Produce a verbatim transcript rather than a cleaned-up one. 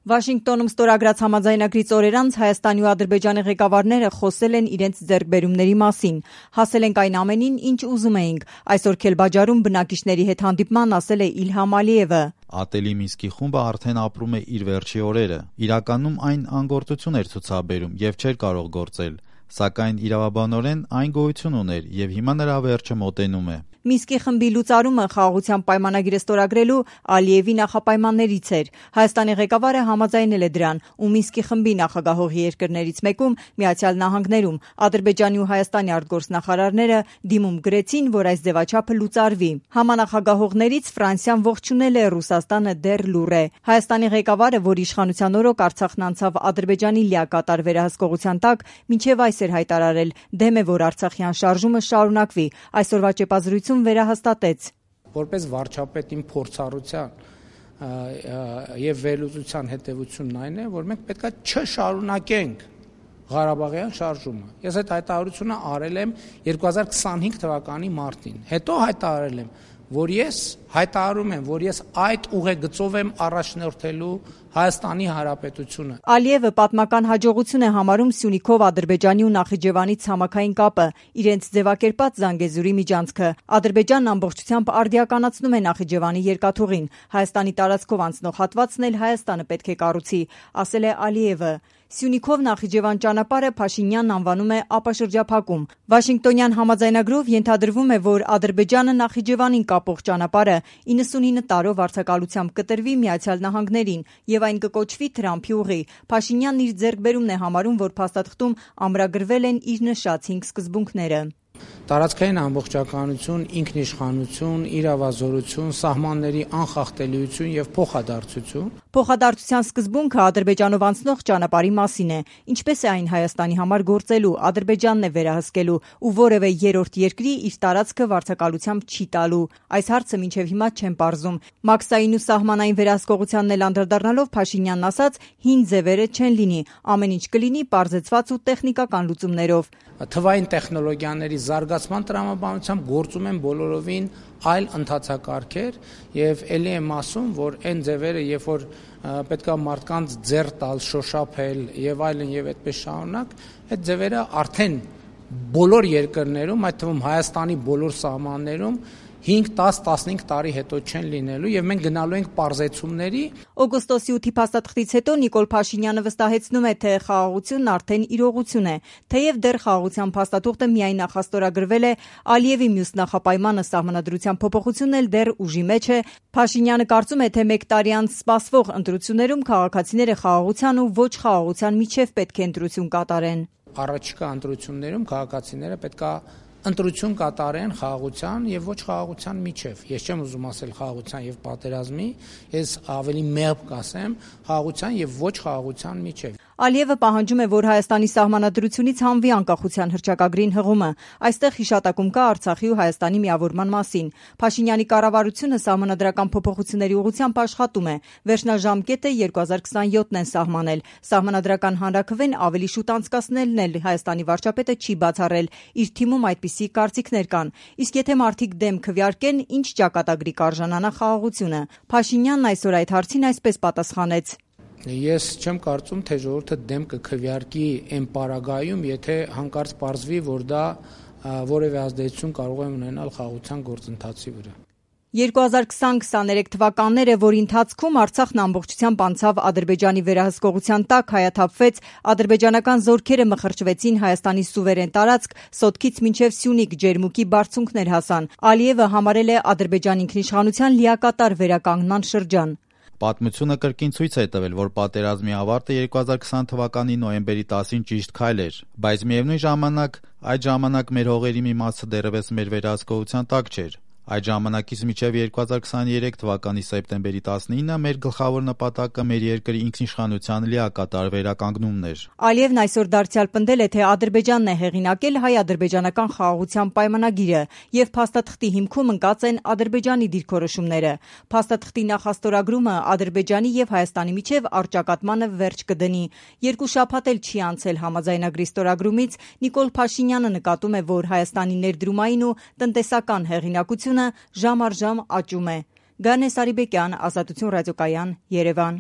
Վաշինգտոնում ստորագրած համաձայնագրից օրեր անց Հայաստանի ու Ադրբեջանի ղեկավարները խոսել են իրենց ձեռքբերումների մասին։ Հասել ենք այն ամենին, ինչ ուզում էինք, այսօր Քելբաջարում բնակիչների հետ հանդիպման ասել է Իլհամ Ալիևը։ Ատելի Մինսկի խումբը արդեն ապրում է իր վերջի օրերը։ Իրականում այն անգործություն էր ցուցաբերում եւ չէր կարող գործել, սակայն իրավաբանորեն այն գոյություն ուներ եւ հիմա նրա վերջը մոտենում է։ Մինսկի խմբի լուծարումը խաղաղության պայմանագիրը ստորագրելու Ալիևի նախապայմաններից էր։ Հայաստանի ղեկավարը համաձայնել է դրան, ու Մինսկի խմբի նախագահողի երկրներից մեկում Միացյալ Նահանգներում Ադրբեջանի ու Հայաստանի արտգործնախարարները դիմում գրեցին, որ այս ձևաչափը լուծարվի։ Համանախագահողներից Ֆրանսիան ողջունել է, Ռուսաստանը դեռ լուռ է։ Հայաստանի ղեկավարը, որ իշխանության օրոք Արցախն անցավ Ադրբեջանի լիակատար վերահսկողության տակ, մինչև այս էր հայտարարել, դեմ է, որ Արցախյան շարժումը շարունակվի։ Այսօրվա ճեպազրույցում վերահաստատեց. Որպես վարչապետին փորձառության եւ վերլուծության հետեւությունն այն է, որ մենք պետք է չշարունակենք Ղարաբաղյան շարժումը։ Ես այդ հայտարարությունը արել եմ երկու հազար քսանհինգ թվականի մարտին։ Հետո հայտարարել եմ, որ ես հայտարարում եմ, որ ես այդ ուղեգծով եմ առաջնորդելու Հայաստանի Հանրապետությունը։ Ալիևը պատմական հաջողություն է համարում Սյունիքով Ադրբեջանի ու Նախիջևանի ցամաքային կապը, իրենց ձևակերպած Զանգեզուրի միջանցքը։ Ադրբեջանն ամբողջությամբ արդիականացնում է Նախիջևանի երկաթուղին։ Հայաստանի տարածքով անցնող հատվածն էլ Հայաստանը պետք է կառուցի, ասել է Ալիևը։ Սյունիքով Նախիջևան ճանապարհը Փաշինյանն անվանում է ապաշրջափակում։ Վաշինգտոնյան համաձայնագրով ենթադրվում է, որ Ադրբեջանը Նախիջևանին կապող ճանապարհը իննսունինը տարով վարձակալությամբ կտրվի Միացյալ Նահանգներին եւ այն կկոչվի Թրամփի ուղի։ Փաշինյանն իր ձեռքբերումն է համարում, որ փաստաթղթում ամրագրվել են իր նշած հինգ սկզբունքները։ Տարածքային ամբողջականություն, ինքնիշխանություն, իրավազորություն, սահմանների անխախտելիություն եւ փոխադարձություն։ Փոխադարձության սկզբունքը Ադրբեջանով անցնող ճանապարհի մասին է, ինչպես է այն Հայաստանի համար գործելու, Ադրբեջանն է վերահսկելու ու որևէ երրորդ երկրի իր տարածքը վարձակալությամբ չի տալու։ Այս հարցը մինչև հիմա չեն պարզում։ Մաքսային ու սահմանային վերահսկողությանն էլ անդրադառնալով Փաշինյանն ասաց, հին ձևերը չեն լինի, ամեն ինչ կլինի պարզեցված ու տեխնիկական լուծումներով։ Թվային տեխնոլոգիաների զարգացման տրամաբանությամբ գործում են բոլորովին այլ ընթացակարգեր եւ ելի եմ ասում, որ այն ձևերը, երբ որ պետքա մարդկանց ձեռ տալ, շոշափել եւ այլն եւ այդպես շարունակ, այդ ձևերը արդեն բոլոր երկրներում, այդ թվում Հայաստանի բոլոր սահմաններում հինգ, դաս, տասնհինգ տարի հետո չեն լինելու եւ մենք գնալու ենք պարզեցումների։ Օգոստոսի ութի փաստաթղթից հետո Նիկոլ Փաշինյանը վստահեցնում է, թե խաղաղությունն արդեն իրողություն է։ Թեև դեռ խաղաղության փաստաթուղթը միայն նախաստորագրվել է, Ալիևի մյուս նախապայմանը սահմանադրության փոփոխությունն էլ դեռ ուժի մեջ է։ Փաշինյանը կարծում է, թե մեկ տարի անց սպասվող ընտրություններում քաղաքացիները խաղաղության ու ոչ խաղաղության միջև պետք է ընտրություն կատարեն։ Առաջիկա ընտրություններում քաղաքացիները պետքա ընտրություն կատարեն խաղաղության եւ ոչ խաղաղության միջև։ Ես չեմ ուզում ասել խաղաղության եւ պատերազմի, ես ավելի մեղմ կասեմ խաղաղության եւ ոչ խաղաղության միջև։ Ալիևը պահանջում է, որ Հայաստանի սահմանադրությունից հանվի անկախության հռչակագրին հղումը։ Այստեղ հիշատակում կա Արցախի ու Հայաստանի միավորման մասին։ Փաշինյանի կառավարությունը սահմանադրական փոփոխությունների ուղղությամբ աշխատում է։ Վերջնաժամկետը երկու հազար քսանյոթն են սահմանել։ Սահմանադրական հանրաքվեն ավելի շուտ անցկացնելն էլ Հայաստանի վարչապետը չի բացառել։ Իր թիմում այդպիսի կարծիքներ կան։ Իսկ եթե մարդիկ դեմ քվեարկեն, ինչ ճակատագրի կարժանանա խաղաղությունը։ Փաշինյանն այսօր այդ հարցին այսպես պատասխանեց. Ես չեմ կարծում, թե ժողովուրդը դեմ կքվեարկի այն պարագայում, եթե հանկարծ պարզվի, որ դա որևէ ազդեցություն կարող է ունենալ խաղաղության գործընթացի վրա։ երկու հազար քսան քսաներեք թվականները, որի ընթացքում Արցախն ամբողջությամբ անցավ Ադրբեջանի վերահսկողության տակ, հայաթափվեց, ադրբեջանական զորքերը մխրճվեցին Հայաստանի սուվերեն տարածք, Սոտքից մինչև Սյունիք ջերմուկի բարձունքներ հասան։ Ալիևը համարել է Ադրբեջանի ինքնիշխանության լիակատար վերականգնման շրջան։ Պատմությունը կրկին ցույց է տվել, որ պատերազմի ավարտը երկու հազար քսան թվականի նոյեմբերի տասին ճիշտ քայլ էր, բայց միևնույն ժամանակ այդ ժամանակ մեր հողերի մի մասը դեռևս մեր վերահսկողության տակ չէր։ Այդ ժամանակից մինչև երկու հազար քսաներեք թվականի սեպտեմբերի տասնինը մեր գլխավոր նպատակը մեր երկրի ինքնիշխանության լիակատար վերականգնումն էր։ Ալիևն այսօր դարձյալ պնդել է, թե Ադրբեջանն է հեղինակել հայ-ադրբեջանական խաղաղության պայմանագիրը եւ փաստաթղթի հիմքում ընկած են Ադրբեջանի դիրքորոշումները։ Փաստաթղթի նախաստորագրումը Ադրբեջանի եւ Հայաստանի միջև առճակատմանը վերջ կդնի։ Երկու շաբաթ էլ չի անցել համաձայնագրի ստորագրումից, Նիկոլ Փաշինյանը նկատում է, որ Հայաստանի ներդրումային ու տնտեսական հեղինակությունը ժամ առ ժամ աճում է։ Գանե Սարիբեկյան, Ազատություն ռադիոկայան, Երևան։